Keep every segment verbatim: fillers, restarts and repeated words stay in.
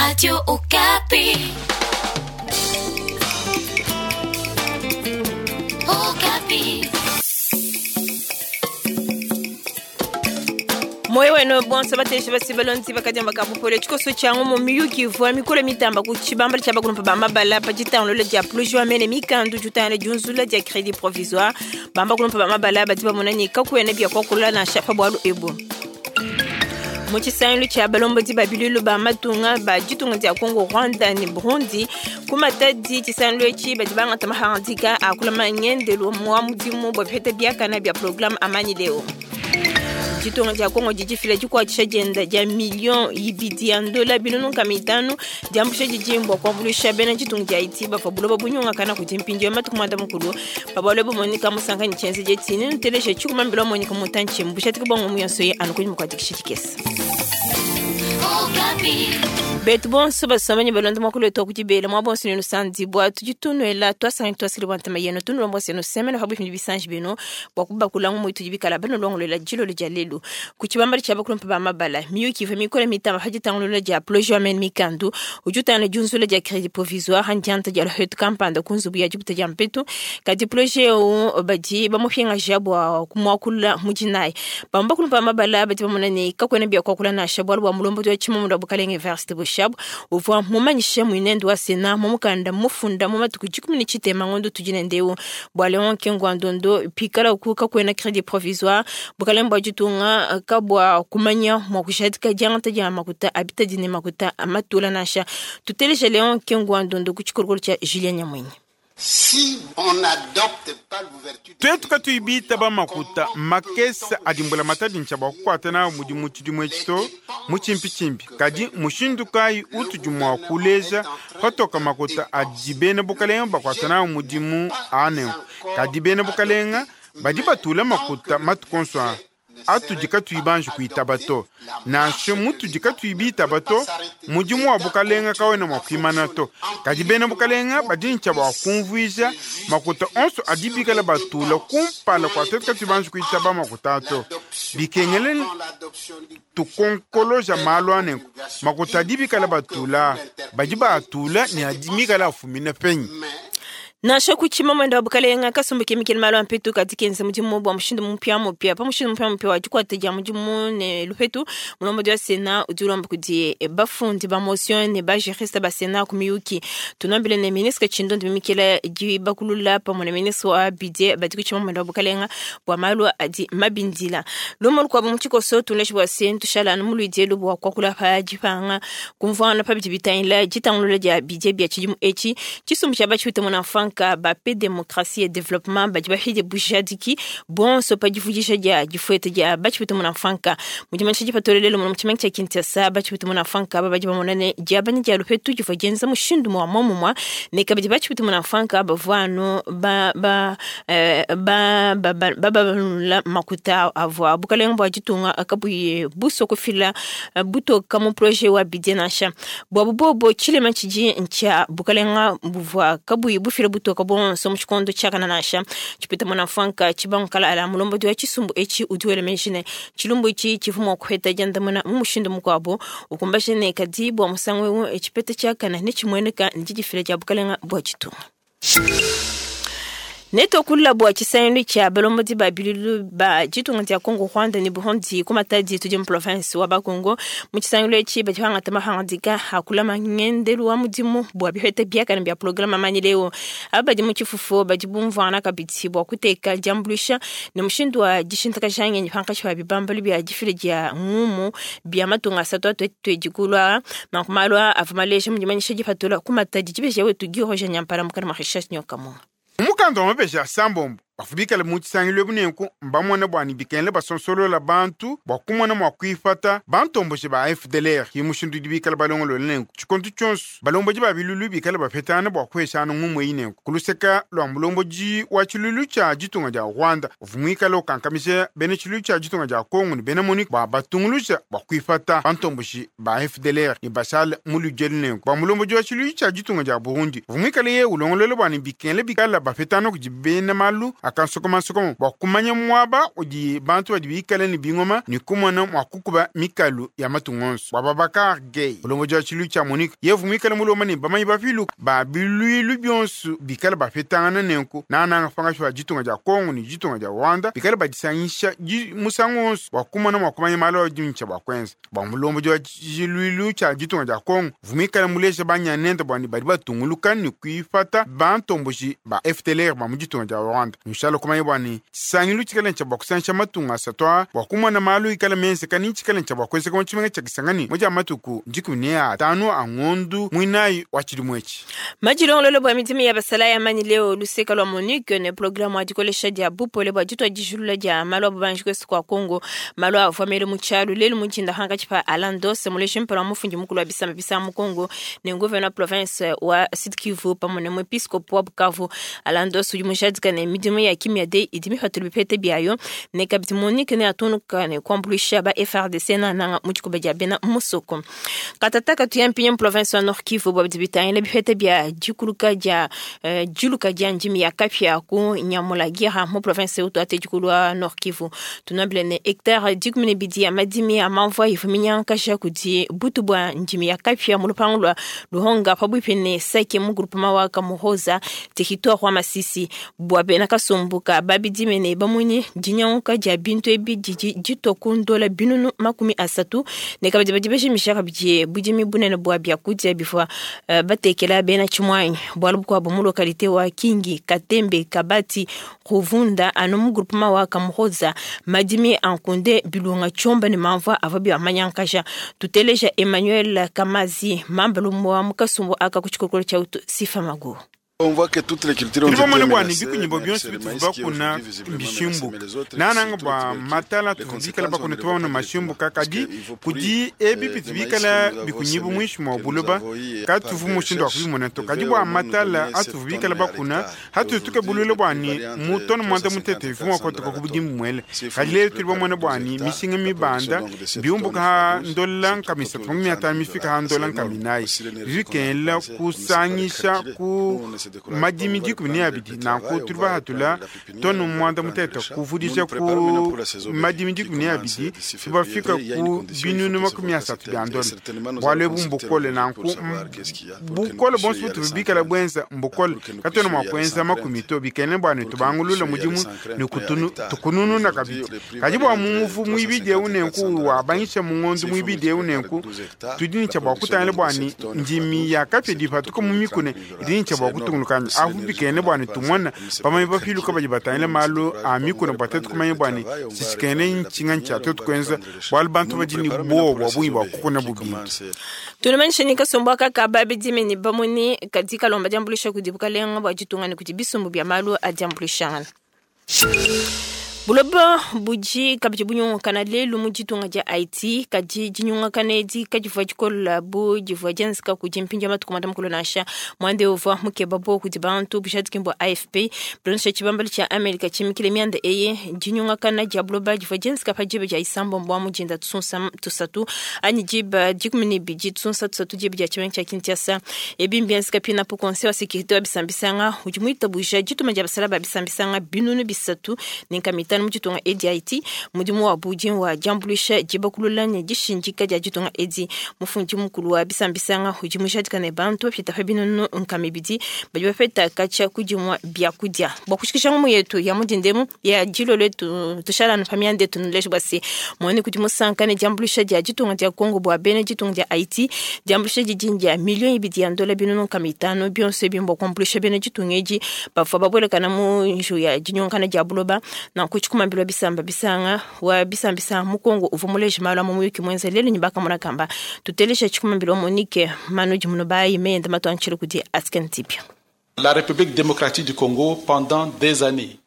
Radio Okapi. Okapi. Moyo wenu bonso bateshe basibalonzi bakadiamba kabupole tshikoso tshiangu mu miyuki ivua mikolo mitamba ku tshibambala tshia bakulumpa ba mabala pa ditangulolo dia plujua mene mikandu jutangana diunzula dia crédit provisoire bamba kulumpa ba mabala badi bamona ne kakuena bia kuakula nansha pa bualu ebu. Mu tshisangilu tshia balombodi ba bilulu ba matunga ba ditunga dia Congo, Rwanda ne Burundi ku Matadi tshisangilu etshi badi bangata mahangadika a kulama ngendelu wa mudimu bua bipeta biakana bia programme Amani Leo. Ditunga dia Congo didifila dikuatshisha dienda dia million ibidi ya ndola binunu nkama itanu diambusha didimbu kuambuluisha bena ditunga dia Haiti bavua buloba bunyungakana kudi mpindieu matuku muanda mukulu pa bualu ebu Monica Musanka ne tshienze dietshi nenuteleje tshikumambila Monica Mutantshi mbushatika bua ngumu yonso ye anu kunyima kua dikisha dikese. Okapi. Betu bonso basomani balonda mwakulu wetu wa kudibela mwa bonso nenu sandibwa tudi tunuela twasanga twasili bwa ntama yenu tunulomba senu semene pa bwipindi bisanji bino bwa kubakulangu mwitu dibikala banulongolola dilolo dia lelu ku tshibambala tshia bakulumpa ba mabala miyuki ivua mikole mitamba pa ditangulula dia projet amen mikandu udi utangila diunzula dia crédit provisoire handianta dia luhetu kampanda ku nzubu ya dibuta dia mpetu kadi projet eu badi bamupingaja bua kumuakulula mudinayi bamwe bakulumpa ba mabala badi bamona ne kakuena bia kuakula nansha bualu bua mulombodi wa tshimamunda wa bukalenge Evariste Boshab uvua mumanyishe muinende wa Sena mu mukanda mufunda mu matuku dikumi ne tshitema ngondo tudi nendeu bua Leon Kengo Ndondo pikala ku kakuena crédit provisoire bukalenge bua ditunga kabua kumanya mua kushadika diangata dia makuta abitadi ne makuta amatula nansha tuteleje Leon Kengo Ndondo ku tshikolokolo tshia Julien Nyamwinyi. Si on n'adopte pas l'ouverture twetu katuibita bamakuta makesa adimbula matadi ntshia kukuata nawu mudimu tshidimu etshi to mutshimpitshimpi kadi mushindu kayi utudi mua kuleja patoka makuta adi bena bukalenga bakuata nawu mudimu anenku kadi bena bukalenga badi batula makuta matuku onso aa atudi katuyi banji kuitaba to nansha mutudi katuyi bitaba to mudimu wa bukalenga kawena mua kuimana to kadi bena bukalenga badi ntshia bua kumvuija makuta onso adi bikala batula kumpala kua twetu katuyi banji kuitaba makuta ato bikengele tukonkoloja malu anenku makuta adi bikala batula badi baatula ne adi mikala afumina penyi. Nansha ku tshimamanda wa bukalenga kasumbu kemikele malu a mpetu kadi kenza mudimu bua mushindu mupiamupia pa mushindu mupiamupia wa dikuata dia mudimu ne lupetu mulombodi wa Sena udi ulomba kudi bafundi ba motion ne bajuriste ba Sena ku miyuki tunambile ne ministre Tshindondi mimikela dibakulula pamue ne ministre wa budget badi ku tshimamanda wa bukalenga bua malu adi mabindila lumu lukuabu mu tshikoso tunleshi bua se tushala anu mu luidielu bua kuakula pa dipanga kumvuangana pa bidi bitangila ditangulula dia budget bia tshidimu etshi tshisumbu tshia batshipite muna mfanka ba pe démocratie et développement badi bafide bujadiki bonso pa divudisha dia difuete dia batshipite muna mfanka mudimanyisha dipatolelelo muno mu tshimenga tshia Kinshasa batshipite muna mfanka aba badi bamona ne diabanya dia lupetu divua dienza mushindu mwa momumua ne kabidi batshipite muna mfanka bavua anu ba ba eh, ba ba ba ba babalula makuta avua bukalenga bua ditunga kabuyi buso kufila eh, butoka mu projet wa budget nansha bua bubobo tshilema tshidi ntshia bukalenga buvua kabuyi bufila butoka bonso mu tshikondo tshiakana nansha tshipita muna mfanka tshibankala ala mulombodi wa tshisumbu etshi udi wela meji ne tshilumbu etshi tshivua mua kuheta diandamuna mu mushindu mukuabu ukumbaje ne kadi bua musangu eu tshipeta tshiakana ne tshimueneka ne didifila dia bukalenga bua ditunga. Netokulula bua tshisangilu tshia balombodi ba bilulu ba ditunga dia Congo, Rwanda ne Burundi ku Matadi tudi mu province wa Bakongo mu tshisangilu etshi badi bangata mahangadika a kulama ngendelu wa mudimu bua bipeta biakana bia programme Amani Leo aba badi mu tshifufu badi bumvuangana kabidi bua kuteka diambuluisha ne mushindu wa dishintakaja ngenyi pankatshi pa bibambalu bia difila dia ngumu bia matunga asatu atuetue kulua nanku malu aa avua maleja mu dimanyisha dipatula ku Matadi dibeja wetu Guy Roger Nyampala mukana mua Richard Nyokamunga. Mukanda wa mapesha asambombo bafubikala mu tshisangilu ebu nenku mbamona bua ne bikengele basonsolola bantu bua kumona mua kuipata bantomboshe ba F D L R ki mushindu udi bikala balongolola nenku tshikonto tshionso balombodi ba bilulu bikala bapetana bua kuheshana ngumu eyi nenku kuluseka lua mulombodi wa tshilulu tshia ditunga dia Rwanda uvua muikale ukankamija bena tshilulu tshia ditunga dia Congo ne bena Monique bua batunguluja bua kuipata bantomboshi ba F D L R ne bashala mu ludielu nenku bua mulombodi wa tshilulu tshia ditunga dia Burundi uvua muikale ye ulongolola bua ne bikengele bikala bapetana kudi bena malu akansokomansokoma bua kumanya muaba udi bantu badi bikale ne bingoma ne kumona mua kukuba mikalu ya matunga onso. Bua Babacar Gueye, mulombodi wa tshiluilu tshia MONUC, yevu muikale mulomba ne bamanyi bapiluke ba biluilu bionso bikale bapetangana nenku nananga pangatshi pa ditunga dia Kongo ne ditunga dia Rwanda bikale badisangisha musangu wonso bua kumona mua kumanya malu adi ntshia bua kuenza. Bua mulombodi wa tshiluilu tshia ditunga dia Kongo vumikale muleja banyanende bua ne badi batunguluka ne kuipata bantomboji ba F D L R ba mu ditunga dia Rwanda. Nshala kumanya bua ne tshisangilu tshikale ntshia bua kusangisha matunga asatu aa bua kumona malu ikale menzeka ne tshikale ntshia bua kuenzeka mu tshimenga tshia Kisangani mu dia matuku dikumi ne atanu a ngondu muinayi wa tshidimu etshi. Majilongololo bua midimu ya basala ya mani leo luseka lwa MONUC ne programme wa dikolesha dia bupole bua ditua dijulula dia malu a bubanji kwesu kwa Kongo malu avua mele mu tshialu lelu mu dinda hankatshi pa Alain Dose muleji mpala wa mufundi mukulu wa bisamba bisa mu Kongo ne gouverneur province wa Sud Kivu pamue ne muepiskopo wa Bukavu. Alain Dose udi mujadika ne midimu ya kimia de idi mipatula bipete biayo ne kabidi MONUC ne atunuka ne kuambuluisha ba F R D C na nanga mu dikoba dia bena musoko. Katataka tuyampinya mu province wa Nord Kivu bua bidi bitangila bipete bia dikuluka dia uh, diluka dia ndimi ya kapya ku Nyamulagira mu province utu ate dikulu wa Nord Kivu. Tunabile ne hectare dikumi ne bidi ya madimi ya mamvua ifuminyankasha kudi butu bua ndimi ya kapya mu lupangu lwa Luhonga pabuipi ne Sake mu groupement wa Kamuhoza territoire wa Masisi. Bua bena kasumbuka babidime ne bamunyi dinyanguka dia bintu ebi didi ditoku ndola binunu makumi asatu ne kabidi badi bejimisha kabidi budimi bunene bua biakudia bivua uh, batekela bena tshimwanyi bualu bukuabu mu lokalite wa Kingi Katembe Kabati Ruvunda anu mu groupement wa Kamuhoza madimi ankunde bilunga tshomba ne mamvua avua biamanyankasha. Tuteleja Emmanuel Kamazi mambalumu wa mukasumbu aka ku tshikokolo tshia utu Sifa Magu. On voit que toutes les cultures ont été Tulibamone bua ne menacées, bikunyimbo mais bionso c'est le bituvu maïs qui est bakuna aujourd'hui visiblement mbishimbuka. menacé, mais les autres Nananga qui bua sont matala les tuvubikala conséquences, bakuna on ne les tubamona voit pas mashimbuka directement. kadi Parce que il faut pourrir, kudi ebi euh, bitu le maïs bikala que nous avons bikunyibu semé, mwinshi mwa que nous buloba avons eu ka par tuvu des mushindu wa recherches, kubimona to kadi devait bua au moins nous matala donner sept atuvubikala tonnes à bakuna l'hectare. hatutuke Aujourd'hui, bulule le bua prix ne varie entre mu tonu mwanda trois cent mutete cinquante et bivumwa quatre cents kotoka dollars la ku budimu tonne. mwele. S'il faut Kadi lelo multiplier tulibamona par bua douze ne hectares, mishinga la mibanda production donc de sept biumbuka tonnes ha fois douze, ndola c'est nkami autour isatu de makumi atanu trente mifika ha dollars. ndola C'est énorme. nkami inayi. Aussi l'énergie qu'on a Bikengela dépensée, on ne sait pas les kusangisha calculer. ku Nous, on ne se décourage pas, madimi on va dikumi ne reprendre abidi le nanku travail, on tuli va bahatula reprendre la pépinière, tonu on va mwanda reprendre mutete le champ. kuvudisha Nous nous ku préparons maintenant pour la saison madimi qui dikumi ne commence abidi d'ici tubafika février. Il y a une ku condition, il faut binunu que ce makumi volcan asatu s'éteigne. bia Et ndola certainement, nous bwalo allons ebu consulter mbukole le nanku pour savoir qu'est-ce qu'il y a, pour que nous bukole puissions bonso y aller sans tubikala crainte. bwenza mbukole Pour que nous katwena puissions mwa y aller kwenza sans makumi crainte. to bikene bwa ne Pour que nous tubangulula puissions y aller mudimu sans crainte, ne mais à kutunu l'hectare. tukununu na Aujourd'hui, kabidi le prix kadi varie bua entre mumuvu mwibidi trois cent cinquante eu et nenku quatre cents dollars la tonne. wabanyisha mu ngondo S'il faut mwibidi eu multiplier par nenku douze hectares, tudi la ntsha bua production kutangila donc bua de ne sept tonnes fois ndimi douze, ya c'est kapya dipatuka autour mu de mikune trente mille idi dollars. ntsha C'est bua énorme. kutungulukanya Si avu l'énergie bikene qu'on a bua ne dépensée, tumona on ne sait pas bamanyi les bapiluka calculer. badi batangila Nous, on ne se malu décourage a pas, on va mikune bua tetu reprendre kumanya le bua ne travail, on va sisikene reprendre la ntshinga ntsha pépinière, on tetu va kwenza reprendre le champ. bualu bantu Nous nous badi ne préparons maintenant bowa pour la bua bungi saison bua B kukuna qui bubintu. commence Tunamanyisha kasumbu kaka babidime ne bamuni kadi kalomba diambulisha kudi bukalenga bua ditunga ne kudi bisumbu bia malu a diambulishangana. Buloba buji kabidi bunyungakana lelu mu ditunga dia Haiti kadi dinyungakana edi kadivua dikola bu divua dienzeka kudi mpindia matuku manda mukulu nansha mwande uvua mukeba bo kudi bantu bujadiki bua A F P bulondesha tshibambalu tshia Amerika tshimikile mianda eye dinyungakana dia buloba divua dienzeka pa diba dia isambombo wa mudinda tusunsa tusatu anyi diba dikumi ne bidi tusunsa tusatu diba dia tshimenga tshia Kinshasa ebi mbienzeka pina po conseil wa sécurité wa bisambisanga udi muitabuja dituma dia basala ba bisambisanga binunu bisatu ne nkama itanu mu ditunga edi Haiti mudimu wa budi wa diambulisha dibakulula ne dishindika dia ditunga edi mufundi mukulu wa bisambisanga udi mujadika ne bantu bapita pa binunu nkama ibidi badi bapeta katshia kudimua biakudia bua kushikisha ngumu yetu ya mudindemu ya dilolo etu tushalanu pa mianda etu nuleje bua se muone kudi musanka ne diambulisha dia ditunga dia Congo bua bena ditunga dia Haiti diambulisha didi dia million ibidi ya ndola binunu nkama itanu bionso ebi mbua kuambulisha bena ditunga edi bavua babuelekana mu nju ya dinyongana dia buloba nanku tshikumambilwa bisamba bisanga wa bisambisa mu Kongo uvua muleje malu a mu muyuki muenza lelu ne bakamona kamba tutelesha tshikumambilwa Monique Manudi Munobayi meyenda matuantshile kudi Asken Tipia. La République démocratique du Congo pendant des années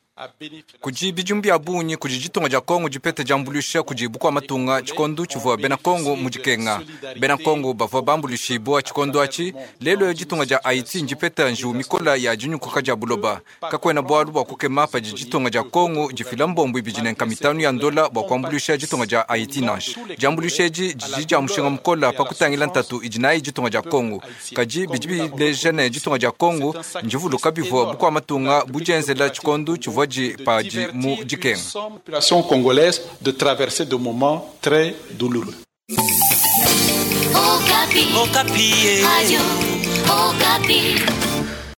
kudi bidimu bia bungi kudi ditunga dia Kongo dipete diambulisha kudi bukua matunga tshikondo tshivua bena Kongo mu dikenga. Bena Kongo bavua bambulishibua tshikondo atshi lelo ditunga dia Haiti ndipeta njiwu mikola ya dinyukuka dia buloba. Kakuena bualu bua kukema padi ditunga dia Kongo difila mbombo ibidi ne nkama itanu ya ndola bua kuambulisha ditunga dia Haiti nansha. Diambulisha edi didi dia mushinga mukola pa kutangila ntatu idi nayi ditunga dia Kongo. Kadi bidi bileja ne ditunga dia Kongo ndivuluka bivua bukua matunga budienzela tshikondo tshivua badi padi mu dikenga. Population congolaise de traverser des moments très douloureux. Okapi. Okapi. Radio Okapi.